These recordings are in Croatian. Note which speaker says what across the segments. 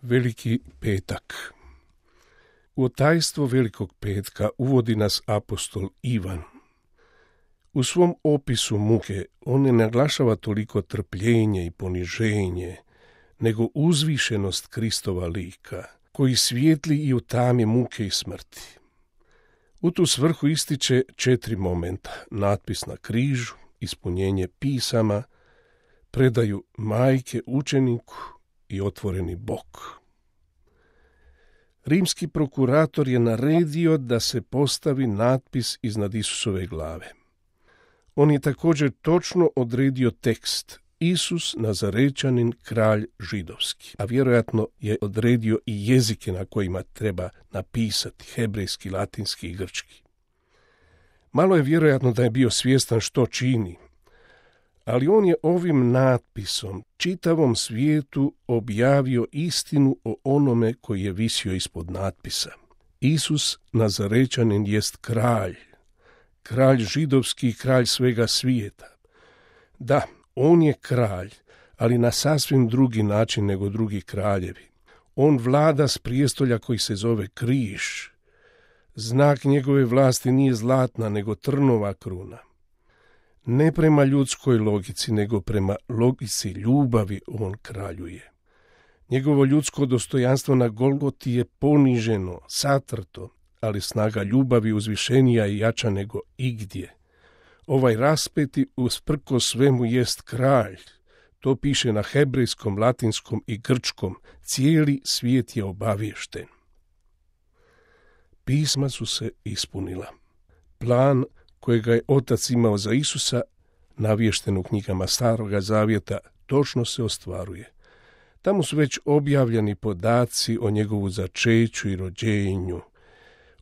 Speaker 1: Veliki petak. U tajstvo Velikog petka uvodi nas apostol Ivan. U svom opisu muke on ne naglašava toliko trpljenje i poniženje, nego uzvišenost Kristova lika, koji svijetli i u tami muke i smrti. U tu svrhu ističe 4 momenta: natpis na križu, ispunjenje pisama, predaju majke učeniku i otvoreni bok. Rimski prokurator je naredio da se postavi natpis iznad Isusove glave. On je također točno odredio tekst: Isus Nazarečanin, kralj židovski, a vjerojatno je odredio i jezike na kojima treba napisati: hebrejski, latinski i grčki. Malo je vjerojatno da je bio svjestan što čini, ali on je ovim natpisom čitavom svijetu objavio istinu o onome koji je visio ispod natpisa. Isus Nazarečanin jest kralj, kralj židovski, kralj svega svijeta. Da, on je kralj, ali na sasvim drugi način nego drugi kraljevi. On vlada s prijestolja koji se zove križ. Znak njegove vlasti nije zlatna, nego trnova kruna. Ne prema ljudskoj logici, nego prema logici ljubavi on kraljuje. Njegovo ljudsko dostojanstvo na Golgoti je poniženo, satrto, ali snaga ljubavi uzvišenija i jača nego igdje. Ovaj raspeti usprkos svemu jest kralj. To piše na hebrejskom, latinskom i grčkom. Cijeli svijet je obaviješten. Pisma su se ispunila. Plan kojega je Otac imao za Isusa, navješten u knjigama Staroga zavjeta, točno se ostvaruje. Tamo su već objavljeni podaci o njegovu začeću i rođenju,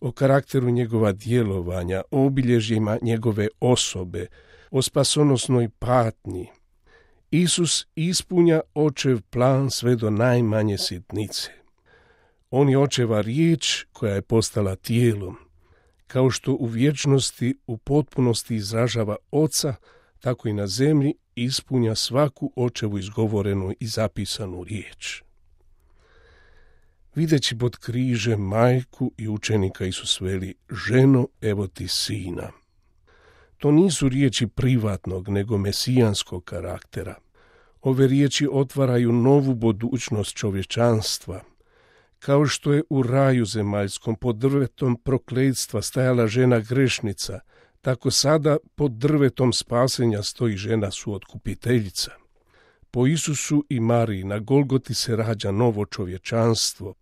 Speaker 1: o karakteru njegova djelovanja, o obilježjima njegove osobe, o spasonosnoj patnji. Isus ispunja očev plan sve do najmanje sitnice. On je očeva riječ koja je postala tijelom. Kao što u vječnosti u potpunosti izražava Oca, tako i na zemlji ispunja svaku očevu izgovorenu i zapisanu riječ. Videći pod križem majku i učenika, Isus veli: ženo, evo ti sina. To nisu riječi privatnog, nego mesijanskog karaktera. Ove riječi otvaraju novu budućnost čovječanstva. Kao što je u raju zemaljskom pod drvetom prokletstva stajala žena grešnica, tako sada pod drvetom spasenja stoji žena suotkupiteljica. Po Isusu i Mariji na Golgoti se rađa novo čovječanstvo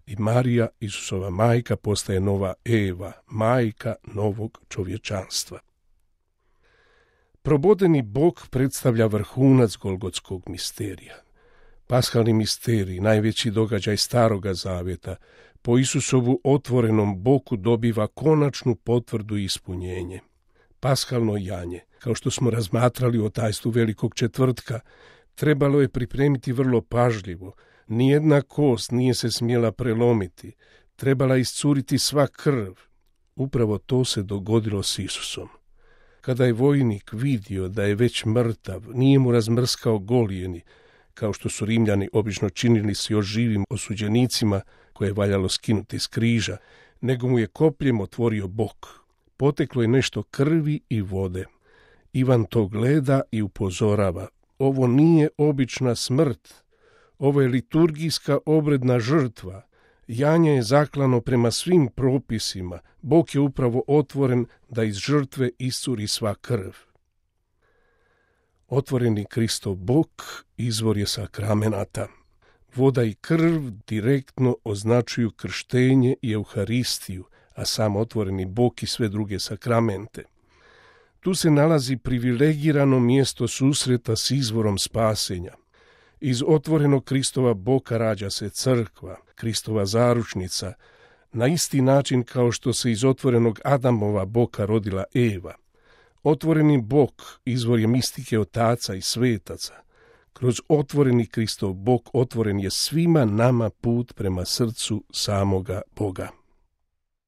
Speaker 1: i Marija, Isusova majka, postaje nova Eva, majka novog čovječanstva. Probodeni bok predstavlja vrhunac golgotskog misterija. Paskalni misterij, najveći događaj Staroga zavjeta, po Isusovu otvorenom boku dobiva konačnu potvrdu i ispunjenje. Paskalno janje, kao što smo razmatrali o tajstvu Velikog četvrtka, trebalo je pripremiti vrlo pažljivo. Nijedna kost nije se smjela prelomiti, trebala iscuriti sva krv. Upravo to se dogodilo s Isusom. Kada je vojnik vidio da je već mrtav, nije mu razmrskao golijeni, kao što su Rimljani obično činili s još živim osuđenicima koje je valjalo skinuti s križa, nego mu je kopljem otvorio bok. Poteklo je nešto krvi i vode. Ivan to gleda i upozorava: ovo nije obična smrt, ovo je liturgijska obredna žrtva. Janje je zaklano prema svim propisima, bok je upravo otvoren da iz žrtve iscuri sva krv. Otvoreni Kristov bok izvor je sakramenata. Voda i krv direktno označuju krštenje i Euharistiju, a sam otvoreni bok i sve druge sakramente. Tu se nalazi privilegirano mjesto susreta s izvorom spasenja. Iz otvorenog Kristova boka rađa se crkva, Kristova zaručnica, na isti način kao što se iz otvorenog Adamova boka rodila Eva. Otvoreni bok izvor je mistike otaca i svetaca. Kroz otvoreni Kristov bok otvoren je svima nama put prema srcu samoga Boga.